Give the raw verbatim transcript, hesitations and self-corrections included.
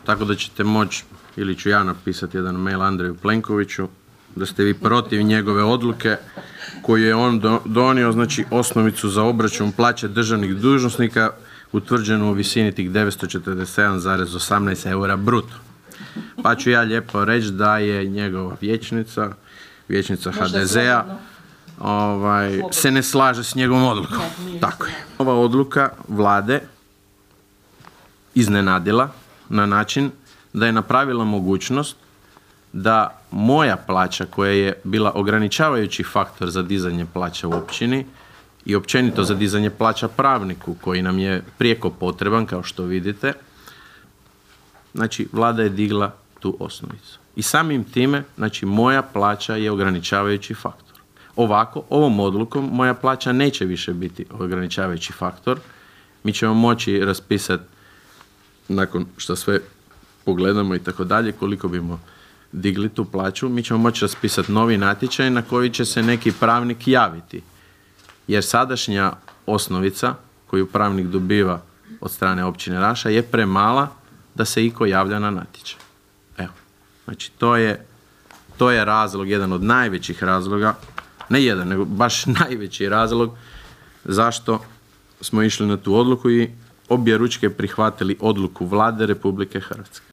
tako da ćete moći, ili ću ja napisati jedan mail Andreju Plenkoviću, da ste vi protiv njegove odluke koju je on do, donio, znači osnovicu za obračun plaće državnih dužnosnika utvrđenu u visini tih devetsto četrdeset sedam zarez osamnaest eura bruto. Pa ću ja lijepo reći da je njegova vijećnica, vijećnica ha de zea, ovaj, se ne slaže s njegovom odlukom. Tako je. Ova odluka vlade iznenadila na način da je napravila mogućnost da moja plaća, koja je bila ograničavajući faktor za dizanje plaća u općini i općenito za dizanje plaća pravniku koji nam je prijeko potreban, kao što vidite, znači vlada je digla tu osnovicu. I samim time, znači moja plaća je ograničavajući faktor. Ovako, ovom odlukom moja plaća neće više biti ograničavajući faktor. Mi ćemo moći raspisati, nakon što sve pogledamo i tako dalje, koliko bimo digli tu plaću, mi ćemo moći raspisati novi natječaj na koji će se neki pravnik javiti. Jer sadašnja osnovica koju pravnik dobiva od strane općine Raša je premala da se iko javlja na natječaj. Evo, znači to je, to je razlog, jedan od najvećih razloga, ne jedan, nego baš najveći razlog zašto smo išli na tu odluku i objeručke prihvatili odluku Vlade Republike Hrvatske.